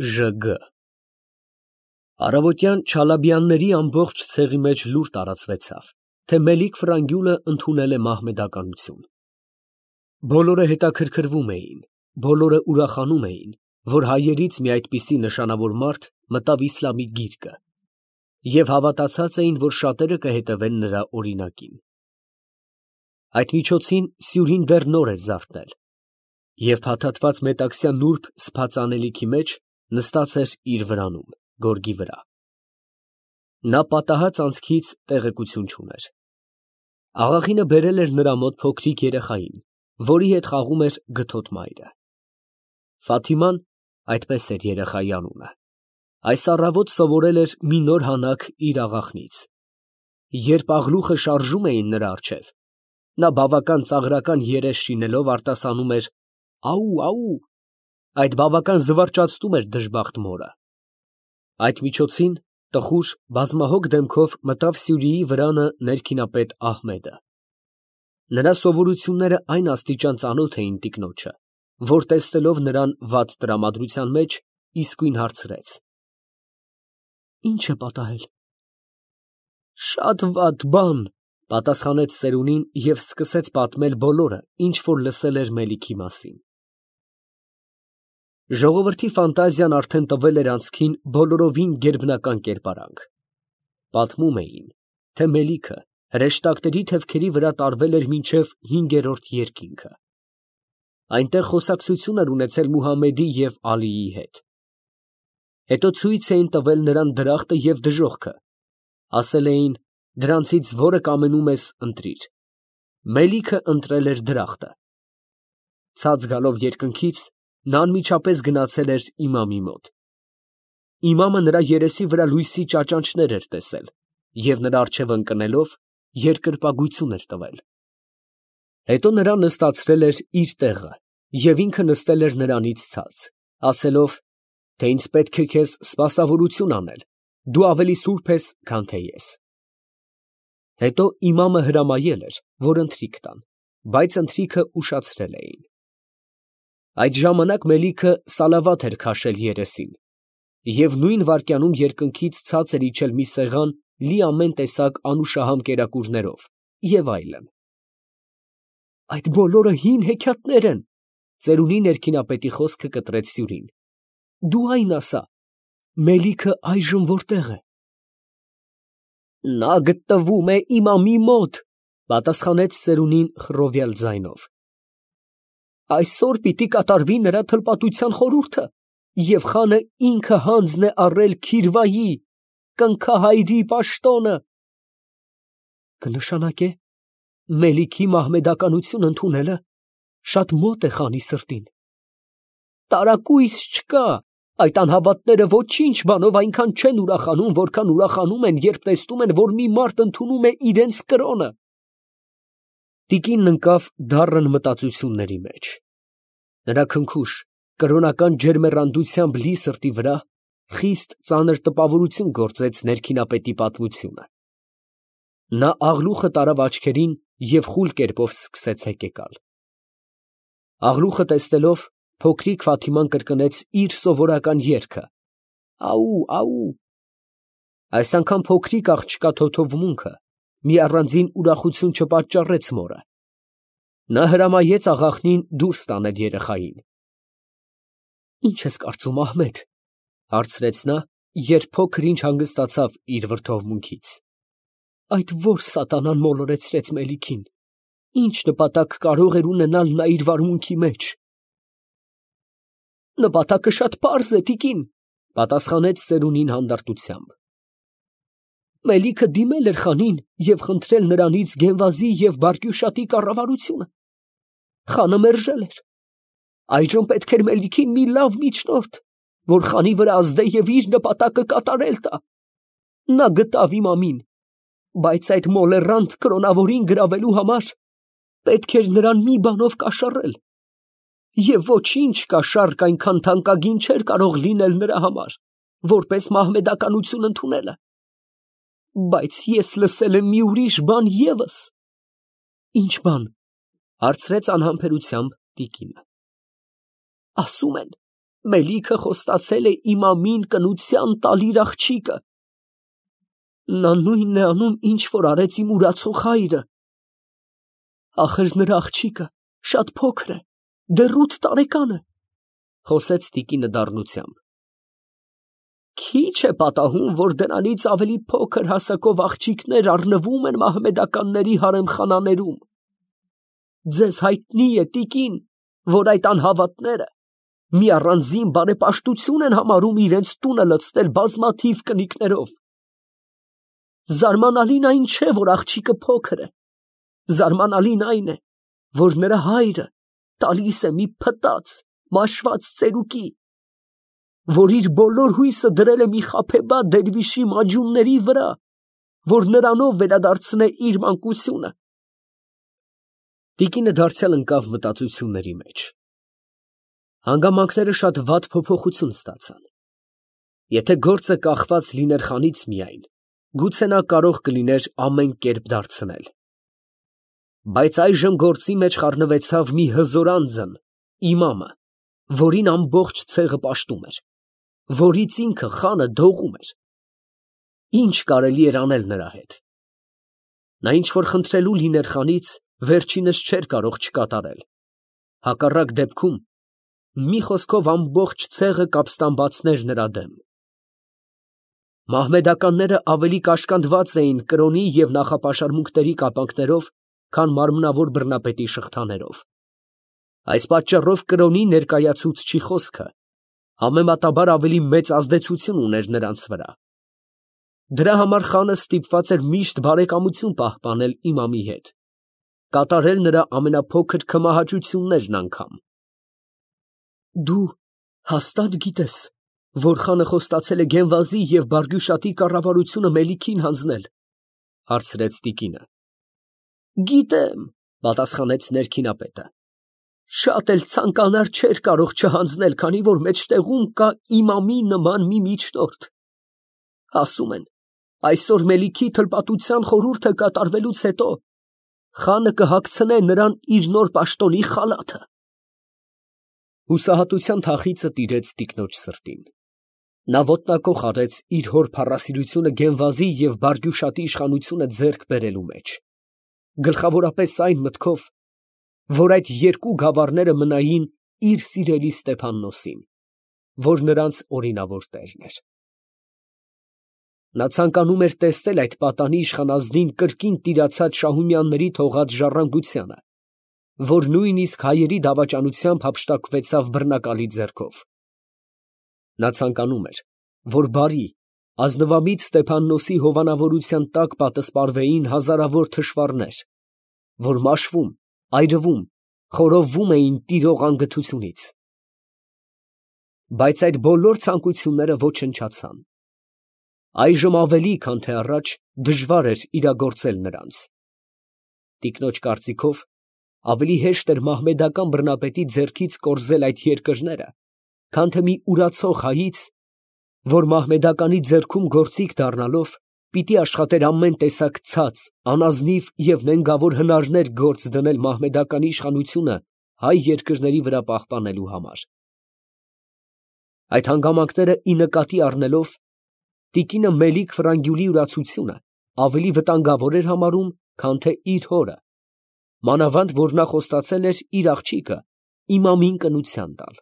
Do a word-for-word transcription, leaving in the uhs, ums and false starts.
Ժ Գ Առավոտյան Չալաբյանների ամբողջ ցեղի մեջ լուր տարածվեցավ, թե Մելիք֊Ֆրանգյուլը ընդունել է մահմեդականություն։ Բոլորը հետաքրքրվում էին, բոլորը ուրախանում էին, որ հայերից մի այդպիսի նշանավոր մարդ մտավ իսլամի գիրկը, և հավատացած էին, որ շատերը կհետևեն նրա օրինակին։ Այդ միջոցին սյուրին դեռ նոր էր զարթնել, և փաթաթված մետաքսյա նուրբ սփած անելիքի մեջ նստած էր իր վրանում, գորգի վրա։ Նա պատահած անցքից տեղեկություն չուներ։ Աղախինը բերել էր նրա մոտ փոքրիկ երեխային, որի հետ խաղում էր գթոտ մայրը։ Ֆաթիման (այդպես էր երեխայի անունը) այս առավոտ սովորել էր մի նոր հանակ իր աղախնից։ Երբ աղլուխը շարժում էին նրա առջև, նա բավական ծաղրական երես շինելով արտասանում էր «Աու, աու», այդ բավական զվարճացնում էր դժբախտ մորը։ Այդ միջոցին տխուր, բազմահոգ դեմքով մտավ Սյուրիի վրանը ներքինապետ Ահմեդը։ Նրա սովորությունները այն աստիճան ծանոթ էին տիկնոջը, որ տեսնելով նրան վատ տրամադրության մեջ, իսկույն հարցրեց. «Ի՞նչ է պատահել»։ «Շատ վատ բան», պատասխանեց ծերունին և սկսեց պատմել բոլորը, ինչ որ լսել էր Մելիքի մասին։ Ժողովրդի ֆանտազիան արդեն տվել էր անցքին բոլորովին գերբնական կերպարանք։ Պատմում էին, թե Մելիքը հրեշտակների թևքերի վրա տարվել էր մինչև հինգերորդ երկինքը։ Այնտեղ խոսակցություն էր ունեցել Մուհամմեդի և Ալիի հետ։ Հետո ցույց էին տվել նրան դրախտը և դժոխքը, ասել էին. «Դրանցից որը կամենում ես, ընտրիր»։ Մելիքը ընտրել էր դրախտը։ Ցած գալով երկնքից, նա անմիջապես գնացել էր իմամի մոտ։ Իմամը նրա երեսի վրա լույսի ճաճանճներ էր տեսել և նրա առջև ընկնելով, երկրպագություն էր տվել։ Հետո նրան նստացրել էր իր տեղը և ինքը նստել էր նրանից ցած, ասելով, թե ինձ պետք է քեզ սպասավորություն անել, դու ավելի սուրբ ես, քան թե ես։ Հետո իմամը հրամայել էր, որ ընթրիք տան, բայց ընթրիքը ուշացրել էին։ Այդ ժամանակ Մելիքը սալավաթ էր քաշել երեսին, և նույն վայրկյանում երկնքից ցած էր իջել մի սեղան լի ամեն տեսակ անուշահամ կերակուրներով և այլն։ «Այդ բոլորը հին հեքիաթներ են», ծերունի ներքինապետի խոսքը կտրեց Սյուրին։ «Դու այն ասա, Մելիքը այժմ որտե՞ղ է»։ «Նա գտնվում է իմամի մոտ», պատասխանեց ծերունին խռովյալ ձայնով։ «Այսօր պիտի կատարվի նրա թլպատության խորհուրդը, և խանը ինքը հանձն է առել Քիրվայի, կնքահայրի պաշտոնը»։ Կնշանակե, Մելիքի մահմեդականություն ընդունելը շատ մոտ է խանի սրտին։ Տարակույս չկա, այդ անհավատները ոչինչ բանով այնքան չեն ուրախանում, որքան ուրախանում են, երբ տեսնում են, որ մի մարդ ընդունում է իրենց կրոնը։ Տիկինն ընկավ դառն մտածությունների մեջ։ Նրա քնքուշ, կրոնական ջերմեռանդությամբ լի սրտի վրա խիստ ծանր տպավորություն գործեց ներքինապետի պատմությունը։ Նա աղլուխը տարավ աչքերին և խուլ կերպով սկսեց հեկեկալ։ Աղլուխը տեսնելով, փոքրիկ Ֆաթիման կրկնեց իր սովորական երգը. «Աու, աու»։ Այս անգամ փոքրիկ աղջկա թոթովմունքը մի առանձին ուրախություն չպատճառեց մորը։ Նա հրամայեց աղախնին դուրս տանել երեխային։ «Ի՞նչ ես կարծում, Ահմեդ», հարցրեց նա, երբ փոքր ինչ հանգստացավ իր վրդովմունքից։ «Այդ ո՞ր սատանան մոլորեցրեց Մելիքին, ի՞նչ նպատակ կարող էր ունենալ նա իր վարմունքի մեջ»։ «Նպատակը շատ պարզ է, տիկին», պատասխանեց ծերունին հանդարտությամբ։ Մելիքը դիմել էր խանին և խնդրել նրանից գենվազի և բարկյուշատի կառավարությունը։ Խանը մերժել էր։ Այժմ պետք էր Մելիքին մի լավ միջնորդ, որ խանի վրա ազդե և իր նպատակը կատարել տա։ Նա գտավ իմամին, բայց այդ մոլեռանդ կրոնավորին գրավելու համար պետք էր նրան մի բանով կաշառել, և ոչինչ կաշառք այնքան թանկագին չէր կարող լինել նրա համար, որպես մահմեդականություն ընդունելը։ Բայց ես լսել եմ մի ուրիշ բան ևս։ «Ի՞նչ բան», հարցրեց անհամբերությամբ տիկինը։ «Ասում են, Մելիքը խոստացել է իմամին կնության տալ իր աղջիկը։ Նա նույնն է անում, ինչ որ արեց իմ ուրացող հայրը։ Ախր նրա աղջիկը շատ փոքր է, դեռ ութ տարեկան է, խոսեց տիկինը դառնությամբ։ Քիչ է պատահում, որ դրանից ավելի փոքր հասակով աղջիկներ առնվում են մահմեդականների հարեմխանաներում։ Ձեզ հայտնի է, տիկին, որ այդ անհավատները մի առանձին բարեպաշտություն են համարում իրենց տունը լցնել բազմաթիվ կնիկներով։ Զարմանալին այն չէ, որ աղջիկը փոքր է, զարմանալին այն է, որ նրա հայրը տալիս է մի փտած, մաշված ծերուկի, որ իր բոլոր հույսը դրել է մի խաբեբա դերվիշի մաջունների վրա, որ նրանով վերադարձնե իր մանկությունը։ Տիկինը դարձյալ ընկավ մտածությունների մեջ։ Հանգամանքները շատ վատ փոփոխություն ստացան։ Եթե գործը կախված լիներ խանից միայն, գուցե նա կարող կլիներ ամեն կերպ դարձնել։ Բայց այժմ գործի մեջ խառնվեցավ մի հզոր անձն, իմամը, որին ամբողջ ցեղը պաշտում էր, որից ինքը խանը դողում էր։ Ինչ կարելի էր անել նրա հետ։ Նա ինչ որ խնդրելու լիներ խանից, վերջինս չէր կարող չկատարել։ Հակառակ դեպքում մի խոսքով ամբողջ ցեղը կապստամբացներ նրա դեմ։ Մահմեդականները ավելի կաշկանդված էին կրոնի և նախապաշարմունքների կապանքներով, քան մարմնավոր բռնապետի շղթաներով։ Այս պատճառով կրոնի ներկայացուցչի խոսքը համեմատաբար ավելի մեծ ազդեցություն ուներ նրանց վրա։ Դրա համար խանը ստիպված էր միշտ բարեկամություն պահպանել իմամի հետ, կատարել նրա ամենափոքր քմահաճություններն անգամ։ Դու հաստատ գիտես, որ խանը խոստացել է Գենվազի և Բարգյուշատի կառավարությունը Մելիքին հանձնել, հարցրեց տիկինը։ Գիտեմ, պատասխանեց ներքինապետը։ Շատ էլ ցանկանար չէր կարող չհանձնել, քանի որ մեջտեղում կա իմամի նման մի միջնորդ։ Ասում են, այսօր Մելիքի թլպատության խորհուրդը կատարվելուց հետո խանը կհագցնե նրան իր նոր պաշտոնի խալաթը։ Հուսահատության թախիծը տիրեց տիկնոջ սրտին։ Նա ոտնակոխ արեց իր հոր փառասիրությունը Գենվազի և Բարգյուշատի իշխանությունը ձեռք բերելու մեջ, գլխավորապես այն մտքով, որ այդ երկու գավառները մնային իր սիրելի Ստեփաննոսին, որ նրանց օրինավոր տերն էր։ Նա ցանկանում էր տեսնել այդ պատանի իշխանազնին կրկին տիրացած շահումյանների թողած ժառանգությանը, որ նույնիսկ հայերի դավաճանությամբ հափշտակվեցավ բռնակալի ձեռքով։ Նա ցանկանում էր, որ բարի, ազնվամիտ Ստեփաննոսի հովանավորության տակ պատսպարվեին հազարավոր թշվառներ, որ մաշվում, այրվում, խորովվում էին տիրող անգթությունից։ Բայց այդ բոլոր ցանկությունները ոչնչացան։ Այժմ ավելի, քան թե առաջ, դժվար էր իրագործել նրանց։ Տիկնոջ կարծիքով, ավելի հեշտ էր մահմեդական բռնապետի ձեռքից կորզել այդ երկրները, քան թե մի ուրացող հայից, որ մահմեդականի ձեռքում գործիք դառնալով, պիտի աշխատեր ամեն տեսակ ցած, անազնիվ և նենգավոր հնարներ գործ դնել մահմեդականի իշխանությունը հայ երկրների վրա պահպանելու համար։ Այդ հանգամանքները ի նկատի առնելով, տիկինը Մելիք Ֆրանգյուլի ուրացությունը ավելի վտանգավոր էր համարում, քան թե իր հորը, մանավանդ որ նա խոստացել էր իր աղջիկը իմամին կնության տալ։